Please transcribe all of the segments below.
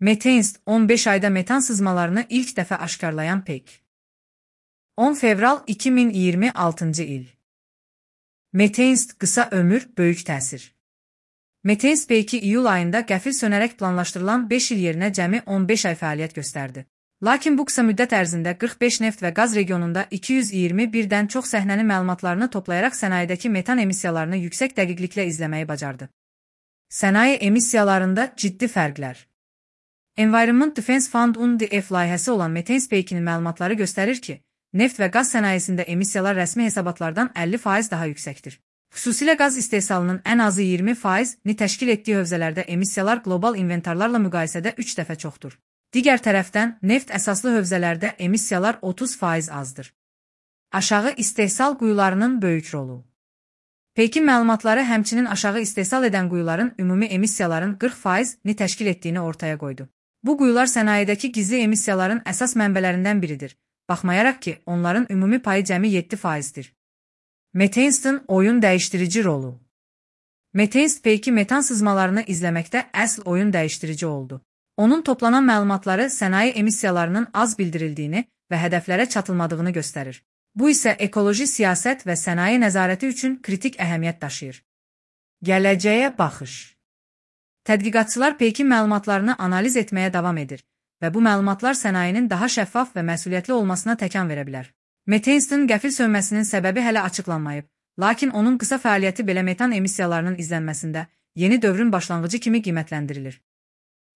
Metainst 15 ayda metan sızmalarını ilk dəfə aşkarlayan peyk. 10 fevral 2026 il. Metainst qısa ömür, böyük təsir. Metainst peyki iyul ayında qəfil sönərək planlaşdırılan 5 il yerinə cəmi 15 ay fəaliyyət göstərdi. Lakin bu qısa müddət ərzində 45 neft və qaz regionunda 221-dən çox səhnənin məlumatlarını toplayaraq sənayedəki metan emissiyalarını yüksək dəqiqliklə izləməyi bacardı. Sənaye emissiyalarında ciddi fərqlər. Environment Defense Fund UNDF layihəsi olan Metainst peykinin məlumatları göstərir ki, neft və qaz sənayesində emissiyalar rəsmi hesabatlardan 50% daha yüksəkdir. Xüsusilə qaz istehsalının ən azı 20%-ni təşkil etdiyi hövzələrdə emissiyalar qlobal inventarlarla müqayisədə 3 dəfə çoxdur. Digər tərəfdən, neft əsaslı hövzələrdə emissiyalar 30% azdır. Aşağı istehsal quyularının böyük rolu. Peykin məlumatları həmçinin aşağı istehsal edən quyuların ümumi emissiyaların 40%-ni təşkil etdiyini ortaya qoydu. Bu quyular sənayedəki gizli emissiyaların əsas mənbələrindən biridir, baxmayaraq ki, onların ümumi payı cəmi 7%-dir. Metainst'ın oyun dəyişdirici rolu. Metainst peyki metan sızmalarını izləməkdə əsl oyun dəyişdirici oldu. Onun toplanan məlumatları sənaye emissiyalarının az bildirildiyini və hədəflərə çatılmadığını göstərir. Bu isə ekoloji siyasət və sənaye nəzarəti üçün kritik əhəmiyyət daşıyır. Gələcəyə baxış. Tədqiqatçılar peykin məlumatlarını analiz etməyə davam edir və bu məlumatlar sənayenin daha şəffaf və məsuliyyətli olmasına təkan verə bilər. Metainst'ın qəfil sönməsinin səbəbi hələ açıqlanmayıb, lakin onun qısa fəaliyyəti belə metan emissiyalarının izlənməsində yeni dövrün başlanğıcı kimi qiymətləndirilir.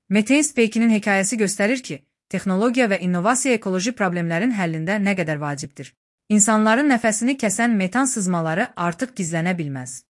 Metainst peykinin hekayəsi göstərir ki, texnologiya və innovasiya ekoloji problemlərin həllində nə qədər vacibdir. İnsanların nəfəsini kəsən metan sızmaları artıq gizlənə bilməz.